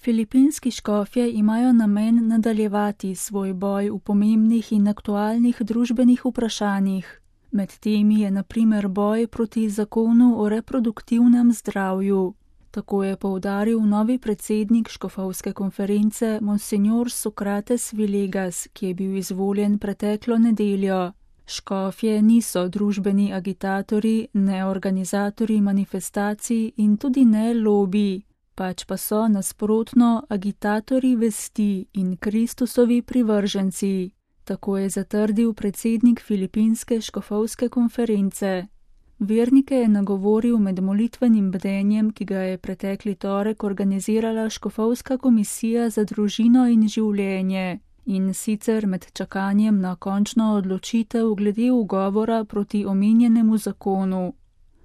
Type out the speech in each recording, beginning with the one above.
Filipinski škofje imajo namen nadaljevati svoj boj v pomembnih in aktualnih družbenih vprašanjih. Med temi je na primer boj proti zakonu o reproduktivnem zdravju. Tako je poudaril novi predsednik škofovske konference Monsignor Sokrates Villegas, ki je bil izvoljen preteklo nedeljo. Škofje niso družbeni agitatorji, ne organizatorji manifestacij in tudi ne lobiji, pač pa so nasprotno agitatorji vesti in Kristusovi privrženci. Tako je zatrdil predsednik Filipinske škofovske konference. Vernike je nagovoril med molitvenim bdenjem, ki ga je pretekli torek organizirala Škofovska komisija za družino in življenje, in sicer med čakanjem na končno odločitev glede ugovora proti omenjenemu zakonu.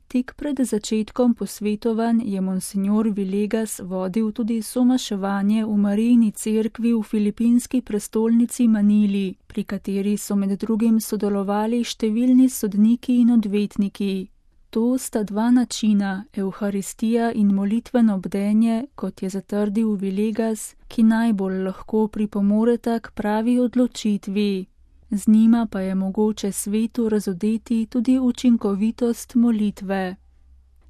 Tik pred začetkom posvetovanj je Monsignor Villegas vodil tudi somaševanje v Marijini cerkvi v filipinski prestolnici Manili, pri kateri so med drugim sodelovali številni sodniki in odvetniki. To sta dva načina, evharistija in molitveno bdenje, kot je zatrdil Villegas, ki najbolj lahko pripomoreta k pravi odločitvi. Z njima pa je mogoče svetu razodeti tudi učinkovitost molitve.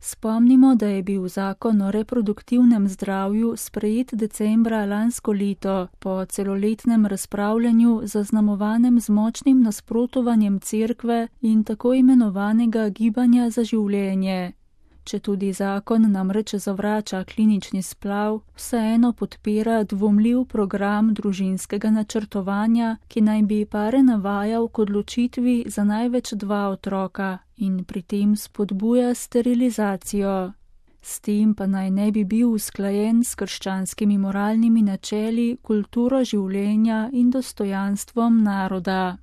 Spomnimo, da je bil zakon o reproduktivnem zdravju sprejet decembra lansko leto po celoletnem razpravljanju zaznamovanem z močnim nasprotovanjem cerkve in tako imenovanega gibanja za življenje. Četudi zakon namreč zavrača klinični splav, vseeno podpira dvomljiv program družinskega načrtovanja, ki naj bi pare navajal k odločitvi za največ 2 otroka in pri tem spodbuja sterilizacijo. S tem pa naj ne bi bil usklajen s krščanskimi moralnimi načeli, kulturo življenja in dostojanstvom naroda.